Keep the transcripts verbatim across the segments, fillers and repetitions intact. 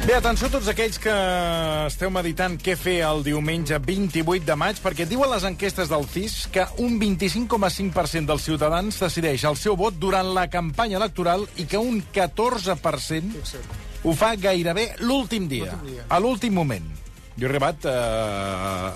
Bé, atenció a tots aquells que esteu meditant què fer el diumenge vint-i-vuit de maig, perquè diuen les enquestes del C I S que un vint-i-cinc coma cinc per cent dels ciutadans decideix el seu vot durant la campanya electoral i que un catorze per cent ho fa gairebé l'últim dia, a l'últim moment. Jo he arribat... Eh,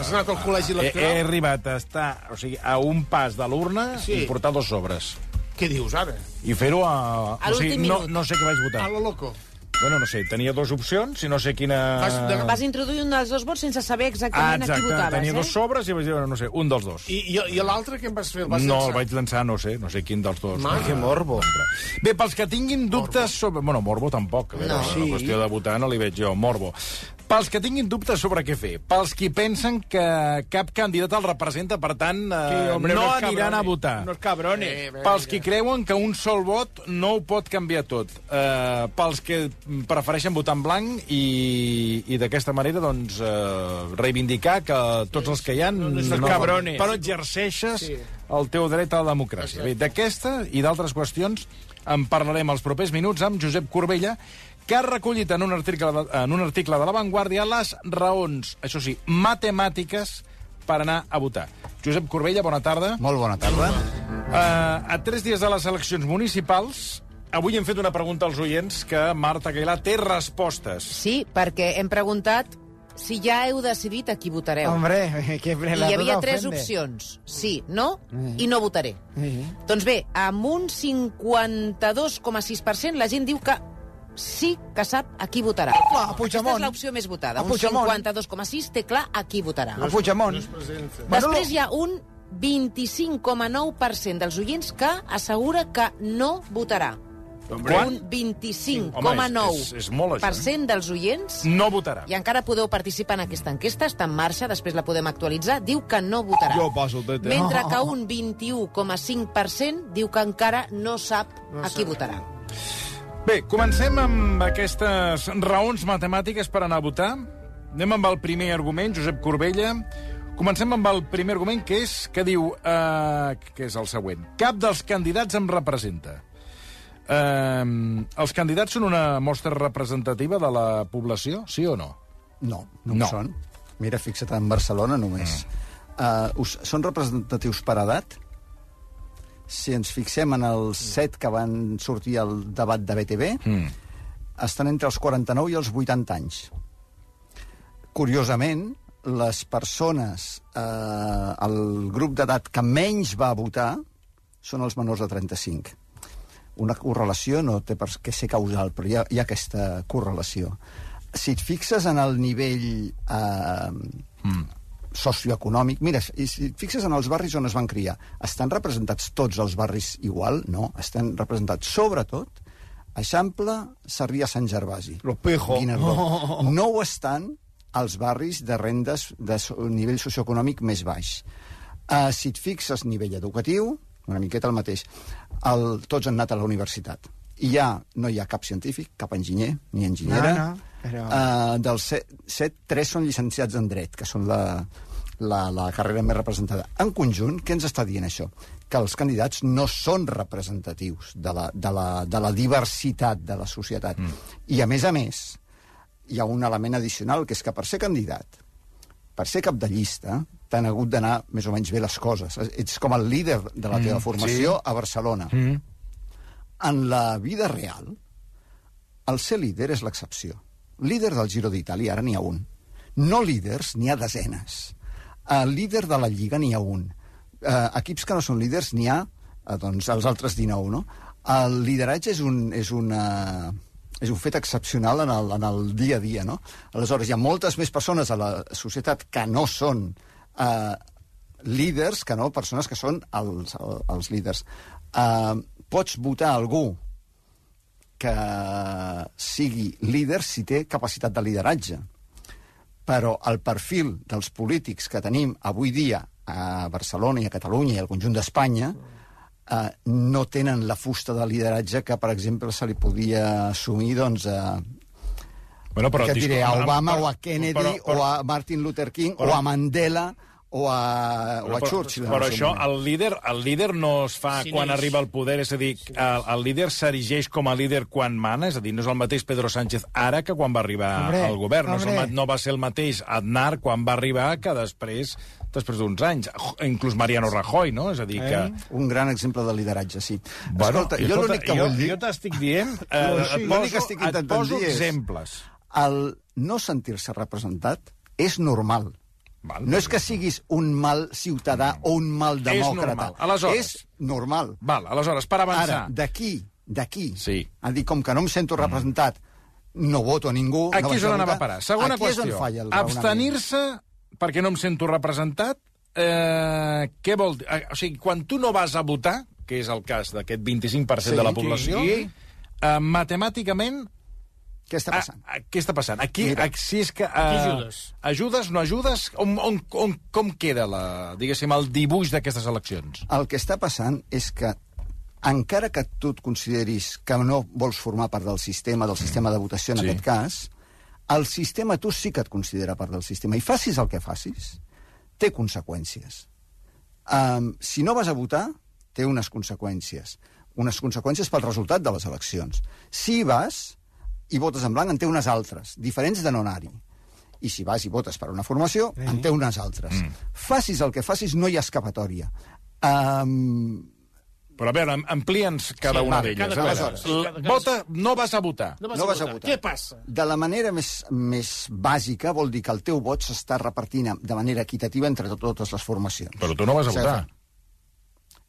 Has anat al col·legi he, electoral? he arribat a estar o sigui, a un pas de l'urna Sí. i portar dos sobres. Què dius, ara? I fer-ho a... A o sigui, l'últim no, minut. no sé què vaig A votar. lo loco. Bueno, no sé, tenia dues opcions i no sé quina... Vas de- Vas introduir un dels dos vots sense saber Ah, exactament a qui exacte, votaves, tenia eh? dos sobres i vaig dir, no sé, un dels dos. I, i, i l'altre què en vas fer? El vas No, llançar? el vaig llançar, no sé, no sé quin dels dos. Ma, que morbo. Bé, pels que tinguin dubtes sobre... Bueno, morbo tampoc, a veure, No. no. La qüestió de votar no li veig jo, morbo. Pels que tinguin dubtes sobre què fer, pels qui pensen que cap candidat el representa, per tant, eh, hombre, no unos aniran a cabrones, votar. Unos cabrones. Eh, bé, Pels ja. qui creuen que un sol vot no ho pot canviar tot. Uh, pels que prefereixen votar en blanc i, i d'aquesta manera doncs, uh, reivindicar que tots els que hi ha no, són cabrones. però exerceixes Sí. el teu dret a la democràcia. Bé, d'aquesta i d'altres qüestions en parlarem els propers minuts amb Josep Corbella, que ha recollit en un article de, en un article de La Vanguardia les raons, això sí, matemàtiques per anar a votar. Josep Corbella, bona tarda. Molt bona tarda. Uh, a tres dies de les eleccions municipals, avui hem fet una pregunta als oients que Marta Aguilar té respostes. Sí, perquè hem preguntat si ja heu decidit a qui votareu. Hombre, que I hi havia tres opcions. Sí, no i no votaré. Doncs bé, amb un cinquanta-dos coma sis per cent la gent diu que sí que sap a qui votarà. Clar, a Puigdemont. Aquesta és l'opció més votada. A Un Puigdemont. cinquanta-dos coma sis té clar a qui votarà. A Puigdemont. No es presenta. Després hi ha un vint-i-cinc coma nou per cent dels oients que assegura que no votarà. Quant? Un vint-i-cinc Home, coma nou és- és- és molt, això, per cent dels oients No votarà. i encara podeu participar en aquesta enquesta, està en marxa, després la podem actualitzar, diu que no votarà. Jo poso el tete. Mentre que un vint-i-u coma cinc per cent diu que encara no sap a qui votarà. Bé, comencem amb aquestes raons matemàtiques per anar a votar. Anem amb el primer argument, Josep Corbella. Comencem amb el primer argument, que és que diu, eh, que és el següent. Cap dels candidats em representa. Eh, els candidats són una mostra representativa de la població, sí o no? No, no, No. ho són. Mira, fixa't en Barcelona només. Mm. Uh, us, són representatius per edat? Si ens fixem en els set que van sortir al debat de B T V, Mm. estan entre els quaranta-nou i els vuitanta anys. Curiosament, les persones, eh, el grup d'edat que menys va votar són els menors de trenta-cinc. Una correlació no té per què ser causal, però hi ha, hi ha aquesta correlació. Si et fixes en el nivell eh, Mm. socioeconòmic, mira, i si et fixes en els barris on es van criar, estan representats tots els barris igual? No, estan representats sobretot Eixample, Sarrià, Sant Gervasi. Los Pejos. Guinardó. Oh. No ho estan als barris de rendes de so nivell socioeconòmic més baix. Uh, si et fixes nivell educatiu, una miqueta el mateix. El, tots han anat a la universitat. I ja no hi ha cap científic, cap enginyer, ni enginyera. No, no, però... uh, dels set, set, tres són llicenciats en dret, que són la, la, la carrera més representada. En conjunt, què ens està dient això? Que els candidats no són representatius de la, de la, de la diversitat de la societat. Mm. I, a més a més, hi ha un element addicional, que és que per ser candidat, per ser cap de llista, t'han hagut d'anar més o menys bé les coses. Ets com el líder de la teva Mm, formació sí. a Barcelona. Mm. En la vida real, el ser líder és l'excepció. Líder del Giro d'Itàlia, ara n'hi ha un. No líders, n'hi ha desenes. El líder de la Lliga n'hi ha un. Uh, equips que no són líders n'hi ha uh, doncs, els altres dinou, no? El lideratge és un, és una, és un fet excepcional en el, en el dia a dia, no? Aleshores, hi ha moltes més persones a la societat que no són uh, líders que no persones que són els, els líders. Uh, pots votar algú que sigui líder si té capacitat de lideratge. Però el perfil dels polítics que tenim avui dia a Barcelona i a Catalunya i al conjunt d'Espanya eh, no tenen la fusta de lideratge que, per exemple, se li podia assumir, doncs, a, Bueno, però, que et diré, a Obama però, o a Kennedy però, però, o a Martin Luther King però, o a Mandela o a, o a Churchill. Però això, el líder, el líder no es fa Sí, quan neix. arriba al poder, és a dir, el, el líder s'erigeix com a líder quan mana, és a dir, no és el mateix Pedro Sánchez ara que quan va arribar Hombre, al govern, no, és el, hombre. ma- no va ser el mateix Aznar quan va arribar que després després d'uns anys, inclús Mariano Rajoy, no? És a dir, que... Un gran exemple de lideratge, sí. Bueno, Escolta, i jo escolta, l'únic que jo, vull dir... jo t'estic dient, eh, No, et sí, l'únic que poso, estic et intentant poso dir és- exemples. El no sentir-se representat és normal. Val. No és que siguis un mal ciutadà o un mal demòcrata. normal. Aleshores- És normal. Val, aleshores, per avançar... Ara, d'aquí, d'aquí, Sí. a dir, com que no em sento representat, no voto a ningú... no Aquí vaig és on a anava a votar. parar. Segona Aquí qüestió. és on falla el raonament. Abstenir-se perquè no em sento representat, eh, què vol dir? Eh, O sigui, quan tu no vas a votar, que és el cas d'aquest vint-i-cinc per cent Sí, de la població, sí. eh, matemàticament... Què està passant? A, a, què està passant? Aquí, Mira. a, si és que... Uh, Aquí ajudes. Ajudes, no ajudes? On, on, on, com queda, la, diguéssim, el dibuix d'aquestes eleccions? El que està passant és que, encara que tu et consideris que no vols formar part del sistema, del sistema de votació en Sí. aquest cas, el sistema tu sí que et considera part del sistema. I facis el que facis, té conseqüències. Um, si no vas a votar, té unes conseqüències. Unes conseqüències pel resultat de les eleccions. Si hi vas i votes en blanc, en té unes altres, diferents de no anar-hi. I si vas i votes per una formació, Eh. en té unes altres. Mm. Facis el que facis, no hi ha escapatòria. Um, Però a veure, am- amplia'ns cada Sí, una vale, d'elles. cada A veure, cosa. l- Cada- cada- Vota, no vas a votar. No vas, No a, vas a votar. votar. Què passa? de la manera més, més bàsica vol dir que el teu vot s'està repartint de manera equitativa entre to- totes les formacions. Però tu no vas a O sigui, votar.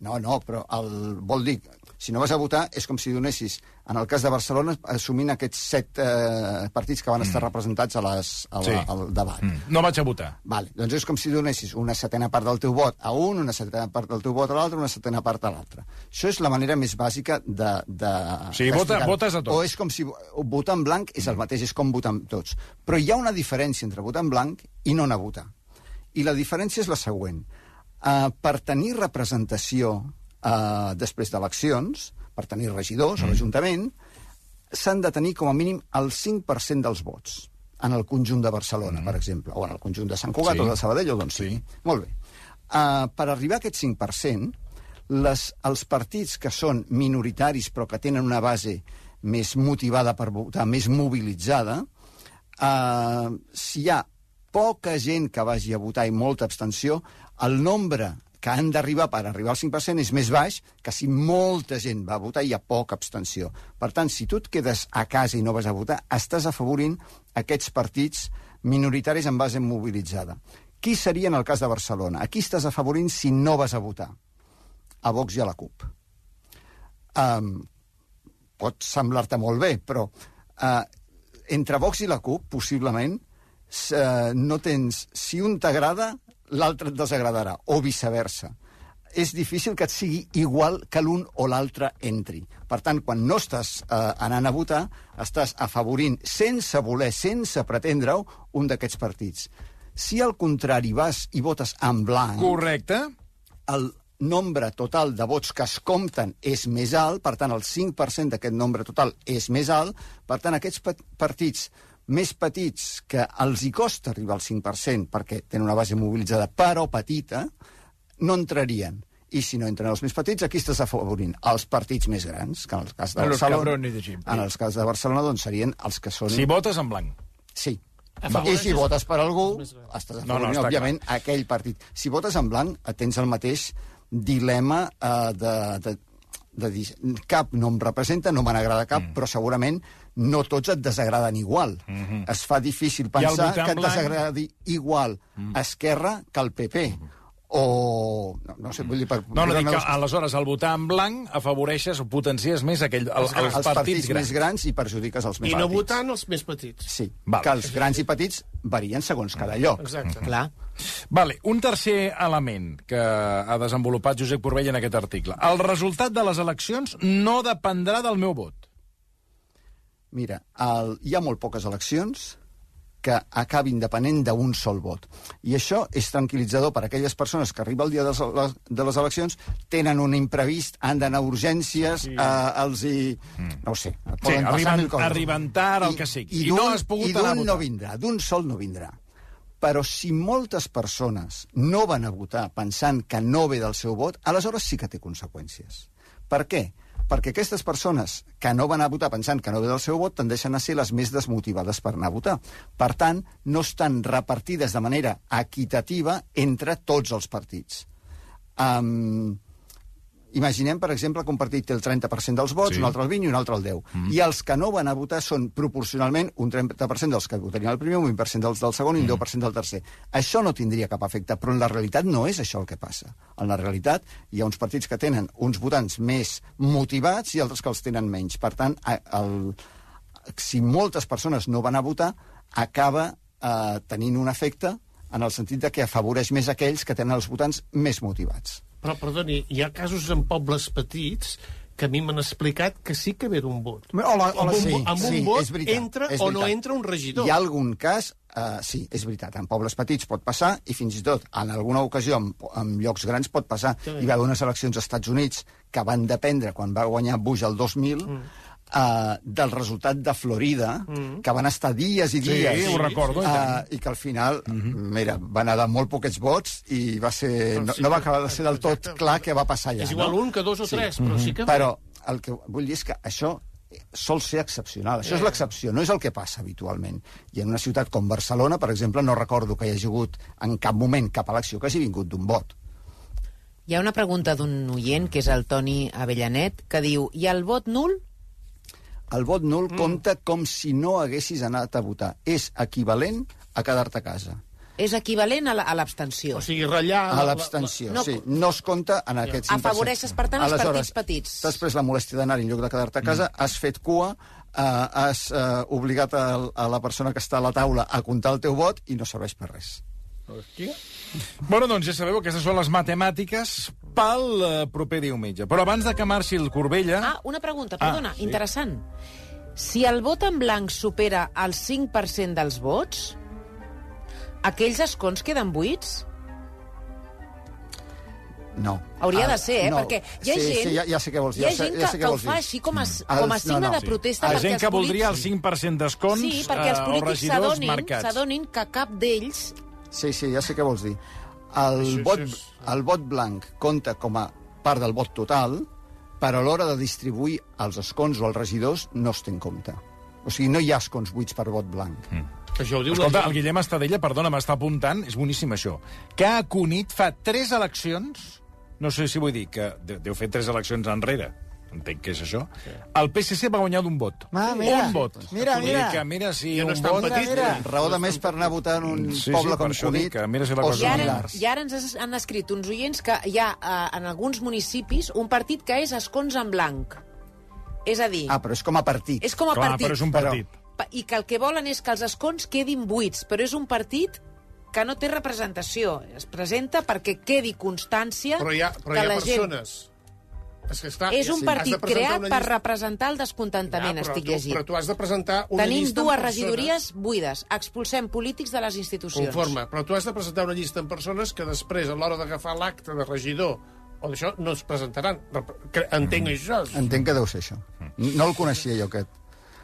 No, no, però el, vol dir, si no vas a votar, és com si donessis, en el cas de Barcelona, assumint aquests set eh, partits que van estar mm. representats a les, a la, Sí. al debat. Mm. No vaig a votar. Vale, doncs és com si donessis una setena part del teu vot a un, una setena part del teu vot a l'altre, una setena part a l'altre. Això és la manera més bàsica de... de Sí, vota- d'explicar-ho. votes a tots. O és com si votar en blanc és el mateix, és com votar en tots. Però hi ha una diferència entre votar en blanc i no anar a votar. I la diferència és la següent. Uh, per tenir representació uh, després d'eleccions, per tenir regidors mm. a l'Ajuntament, s'han de tenir com a mínim el cinc per cent dels vots en el conjunt de Barcelona, mm. per exemple, o en el conjunt de Sant Cugat Sí. o de Sabadell, o d'on Sí. sigui. Molt bé. Uh, per arribar a aquest cinc per cent, les, els partits que són minoritaris però que tenen una base més motivada per votar, més mobilitzada, uh, si hi ha poca gent que vagi a votar i molta abstenció, el nombre que han d'arribar per arribar al cinc per cent és més baix que si molta gent va a votar i hi ha poca abstenció. Per tant, si tu et quedes a casa i no vas a votar, estàs afavorint aquests partits minoritaris en base mobilitzada. Qui seria en el cas de Barcelona? A qui estàs afavorint si no vas a votar? A Vox i a la CUP. Um, pot semblar-te molt bé, però uh, entre Vox i la CUP, possiblement, uh, no tens... Si un t'agrada, l'altre et desagradarà, o viceversa. És difícil que et sigui igual que l'un o l'altre entri. Per tant, quan no estàs eh, anant a votar, estàs afavorint, sense voler, sense pretendre-ho, un d'aquests partits. Si al contrari vas i votes en blanc, Correcte. el nombre total de vots que es compten és més alt, per tant, el cinc per cent d'aquest nombre total és més alt, per tant, aquests partits més petits que els hi costa arribar al cinc per cent perquè tenen una base mobilitzada però petita, no entrarien. I si no entren els més petits, aquí estàs afavorint els partits més grans, que en el cas de A los Barcelona... cabrones de siempre. En el cas de Barcelona, doncs, serien els que són... Si votes en blanc. Sí. Afavoreixes I si votes per algú, els més grans. estàs No, no, afavorint, està òbviament, aquell partit. Si votes en blanc, tens el mateix dilema eh, de, de, de dir cap no em representa, no me n'agrada cap, mm. però segurament no tots et desagraden igual. Mm -hmm. Es fa difícil pensar votar en que et blanc? desagradi igual mm. Esquerra que el P P. Mm. O... No, no sé, vull dir... Per, No, no, per dic que les- aleshores al votar en blanc afavoreixes o potencies més aquell, el, els, els, els partits, grans. més grans i perjudiques els més I no petits. votant els més petits. Sí, Val. que els grans i petits varien segons cada lloc. Exacte. Clar. Vale, un tercer element que ha desenvolupat Josep Corbella en aquest article. El resultat de les eleccions no dependrà del meu vot. Mira, el, hi ha molt poques eleccions que acabin depenent d'un sol vot. I això és tranquil·litzador per a aquelles persones que arriba el dia de les, de les eleccions, tenen un imprevist, han d'anar a urgències, sí. eh, els hi... Mm. No ho sé. arriben- arriben tard, el que sigui. I no d'un- has pogut I anar a d'un votar. no vindrà, d'un sol no vindrà. Però si moltes persones no van a votar pensant que no ve del seu vot, aleshores sí que té conseqüències. Per què? Perquè aquestes persones que no van a votar pensant que no ve del seu vot tendeixen a ser les més desmotivades per anar a votar. Per tant, no estan repartides de manera equitativa entre tots els partits. Um, imaginem, per exemple, que un partit té el trenta per cent dels vots, Sí. un altre el vint i un altre el deu. Mm. I els que no van a votar són proporcionalment un trenta per cent dels que votarien el primer, un vint per cent dels del segon i un deu per cent del tercer. Això no tindria cap efecte, però en la realitat no és això el que passa. En la realitat hi ha uns partits que tenen uns votants més motivats i altres que els tenen menys. Per tant, el, si moltes persones no van a votar, acaba eh, tenint un efecte en el sentit de que afavoreix més aquells que tenen els votants més motivats. Però, perdoni, hi ha casos en pobles petits que a mi m'han explicat que sí que ve d'un vot. Hola, Amb un, sí, amb un sí, vot és veritat, entra és o no veritat. entra un regidor. Hi ha algun cas, uh, sí, és veritat, en pobles petits pot passar, i fins i tot en alguna ocasió en, en llocs grans pot passar. Sí. Hi va haver unes eleccions als Estats Units que van dependre, quan va guanyar Bush el dos mil, mm. uh, del resultat de Florida, mm. que van estar dies i dies. Sí, ho recordo. Uh, I que al final, mm -hmm. mira, van anar de molt poquets vots i va ser, no, sí, no va acabar de ser del tot exacte. clar què va passar allà. És igual no? un que dos o Sí. tres, però sí que... Però el que vull dir és que això sol ser excepcional. Això és l'excepció, no és el que passa habitualment. I en una ciutat com Barcelona, per exemple, no recordo que hi hagi hagut en cap moment cap elecció que hagi vingut d'un vot. Hi ha una pregunta d'un oient, que és el Toni Avellanet, que diu, i el vot nul? El vot nul mm. compta com si no haguessis anat a votar. És equivalent a quedar-te a casa. És equivalent a la- a l'abstenció. O sigui, ratllar... A la- l'abstenció, no- sí. No es compta en aquest cinc per cent. Afavoreixes, per tant, els Aleshores, partits petits. Després la molèstia d'anar en lloc de quedar-te a casa, mm. has fet cua, eh, has eh, obligat a, a la persona que està a la taula a comptar el teu vot i no serveix per res. Hòstia. Bueno, doncs ja sabeu, aquestes són les matemàtiques pel eh, proper diumenge. Però abans de que marxi el Corbella... Ah, una pregunta, perdona, Ah, sí. interessant. Si el vot en blanc supera el cinc per cent dels vots, aquells escons queden buits? No. Hauria Ah, de ser, eh? no. Perquè hi ha sí, gent, Sí, ja, ja sé què vols dir. hi ha ja sé, gent ja que, sé que què ho vols dir. fa així com a, Mm. com a Els- signe no, no. de protesta. La perquè gent els que voldria el polítics- cinc per cent d'escons Sí, perquè els eh, o polítics regidors s'adonin marcats. s'adonin que cap d'ells... Sí, sí, ja sé què vols dir. El, Això, vot, això és- el vot blanc compta com a part del vot total, però a l'hora de distribuir els escons o els regidors no es té en compte. O sigui, no hi ha escons buits per vot blanc. Mm. Això ho diu Escolta, la el Guillem Estadella, perdona, m'està apuntant, és boníssim això, que a Cunit fa tres eleccions, no sé si vull dir que de- deu fer tres eleccions enrere, entenc que és això, el P S C va guanyar d'un vot. Ah, mira. Un vot. Mira, Vull dir mira. que mira si Ja no un és tan vot... petit, mira. Raó de més per anar a votar en un Sí, poble sí, per com això dic Cunit que mira si la o cosa I ara, similars. I ara ens has- han escrit uns oients que hi ha eh, en alguns municipis un partit que és escons en blanc. És a dir, Ah, però és com a partit. és com a Clar, partit. però és un Però- partit. Pa- I que el que volen és que els escons quedin buits, però és un partit que no té representació. Es presenta perquè quedi constància Però hi ha, però que hi ha la gent... persones... És, que està, És un sí, partit has de presentar creat una per llista- representar el descontentament, Ja, però estic tu- llegint. Però tu has de presentar una Tenim llista amb dues persones- regidories buides. Expulsem polítics de les institucions. Conforme, però tu has de presentar una llista amb persones que després, a l'hora d'agafar l'acte de regidor o d'això, no es presentaran. Rep- que- Entenc això. Entenc que deu ser això. No el coneixia jo, aquest.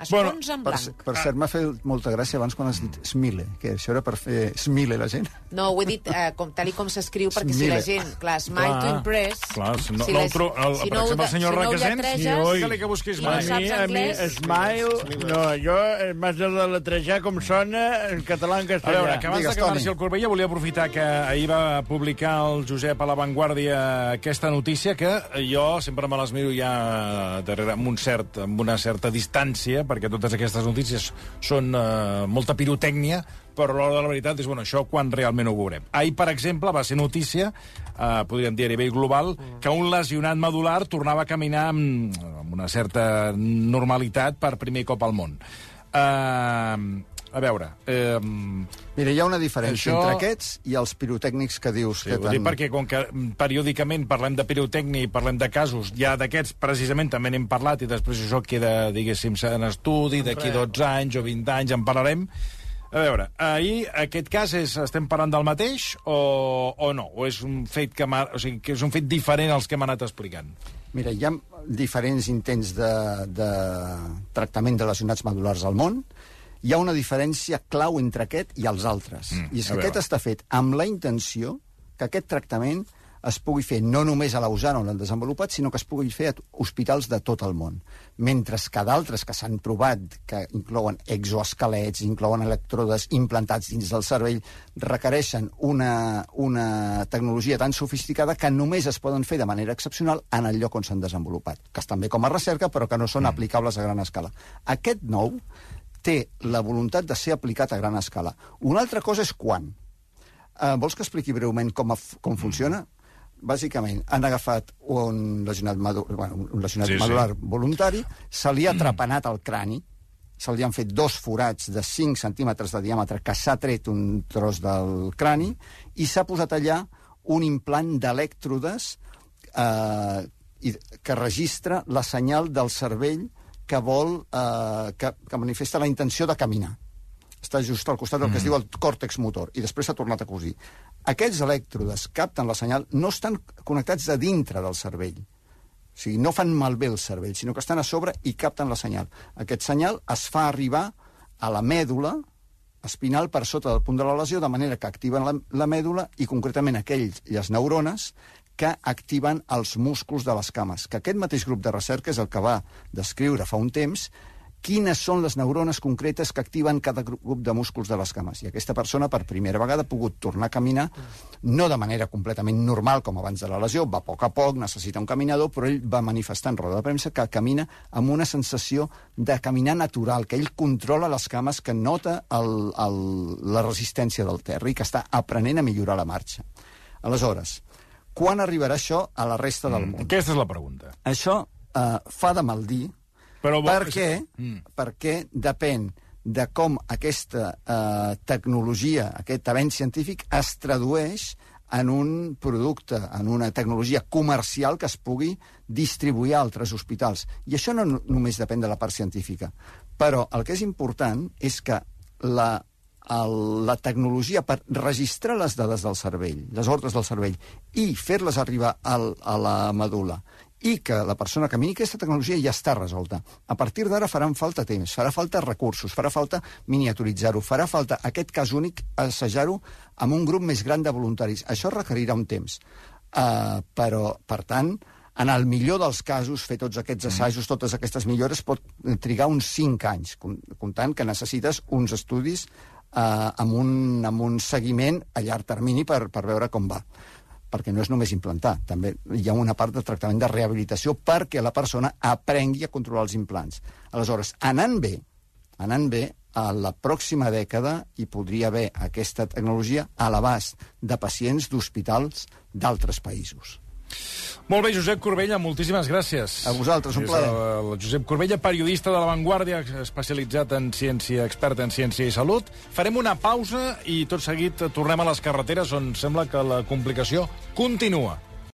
Escons en Per, blanc. per cert, m'ha fet molta gràcia abans quan has dit Smile, que això era per fer Smile la gent. No, ho he dit eh, com, tal i com s'escriu, perquè si Smile. la gent, clar, smile Clar, to impress... clar, si no- si no la- el tro- el- per ho exemple, el de- senyor si no ho Requesens, lletreges sí, oi. Cal·li que busquis i no mai. A mi, saps a mi, anglès... smile, no, jo eh, m'has de deletrejar com sona en català en A castellà. veure, que abans Digues, de que marxi Toni. el Corbella volia aprofitar que ahir va publicar el Josep a La Vanguardia aquesta notícia que jo sempre me les miro ja darrere amb, un cert, amb una certa distància, perquè totes aquestes notícies són eh, molta pirotècnia, però a l'hora de la veritat és, bueno, això quan realment ho veurem. Ahir, per exemple, va ser notícia, eh, podríem dir a nivell global, que un lesionat medular tornava a caminar amb, amb una certa normalitat per primer cop al món. Eh, a veure... Eh, Mira, hi ha una diferència Això- entre aquests i els pirotècnics que dius Sí, que ho dic perquè com que mm, periòdicament parlem de pirotècnia i parlem de casos, ja d'aquests precisament també n'hem parlat i després això queda, diguéssim, en estudi, d'aquí dotze anys o vint anys en parlarem. A veure, ahir aquest cas és, estem parlant del mateix o, o no? O és un fet que, m'ha- o sigui, que és un fet diferent als que hem anat explicant? Mira, hi ha diferents intents de, de tractament de lesionats medulars al món. hi ha una diferència clau entre aquest i els altres. Mm, I és a que veure. aquest està fet amb la intenció que aquest tractament es pugui fer no només a Lausana, on l'han desenvolupat, sinó que es pugui fer a hospitals de tot el món. Mentre que d'altres que s'han provat, que inclouen exoesquelets, inclouen elèctrodes implantats dins del cervell, requereixen una, una tecnologia tan sofisticada que només es poden fer de manera excepcional en el lloc on s'han desenvolupat, que estan bé com a recerca, però que no són mm. aplicables a gran escala. Aquest nou té la voluntat de ser aplicat a gran escala. Una altra cosa és quan. Uh, vols que expliqui breument com, a, com funciona? Bàsicament, han agafat un lesionat, madu bueno, un lesionat sí, medular sí. voluntari, se li ha trepanat el crani, se li han fet dos forats de cinc centímetres de diàmetre que s'ha tret un tros del crani i s'ha posat allà un implant d'elèctrodes eh, que registra la senyal del cervell que vol eh, que, que manifesta la intenció de caminar. Està just al costat del que es diu el còrtex motor, i després s'ha tornat a cosir. Aquests elèctrodes capten la senyal, no estan connectats a dintre del cervell. O sigui, no fan malbé el cervell, sinó que estan a sobre i capten la senyal. Aquest senyal es fa arribar a la mèdula espinal per sota del punt de la lesió, de manera que activen la, la mèdula i concretament aquelles neurones que activen els músculs de les cames. Que aquest mateix grup de recerca és el que va descriure fa un temps quines són les neurones concretes que activen cada grup de músculs de les cames. I aquesta persona, per primera vegada, ha pogut tornar a caminar, no de manera completament normal, com abans de la lesió, va a poc a poc, necessita un caminador, però ell va manifestar en roda de premsa que camina amb una sensació de caminar natural, que ell controla les cames, que nota el, el, la resistència del terra i que està aprenent a millorar la marxa. Aleshores, quan arribarà això a la resta del món? Mm, aquesta és la pregunta. Això eh, fa de mal dir, Però bo... perquè, mm. perquè depèn de com aquesta eh, tecnologia, aquest avenç científic, es tradueix en un producte, en una tecnologia comercial que es pugui distribuir a altres hospitals. I això no només depèn de la part científica. Però el que és important és que la, el, la tecnologia per registrar les dades del cervell, les ordres del cervell, i fer-les arribar al, a la medul·la, i que la persona camini, aquesta tecnologia ja està resolta. A partir d'ara faran falta temps, farà falta recursos, farà falta miniaturitzar-ho, farà falta aquest cas únic assajar-ho amb un grup més gran de voluntaris. Això requerirà un temps. Uh, però, per tant, en el millor dels casos, fer tots aquests assajos, totes aquestes millores, pot trigar uns cinc anys, comptant que necessites uns estudis uh, amb, un, amb un seguiment a llarg termini per, per veure com va. Perquè no és només implantar, també hi ha una part de tractament de rehabilitació perquè la persona aprengui a controlar els implants. Aleshores, anant bé, anant bé, a la pròxima dècada hi podria haver aquesta tecnologia a l'abast de pacients d'hospitals d'altres països. Molt bé, Josep Corbella, moltíssimes gràcies. A vosaltres, un plaer. El Josep Corbella, periodista de La Vanguardia, especialitzat en ciència, expert en ciència i salut. Farem una pausa i tot seguit tornem a les carreteres on sembla que la complicació continua.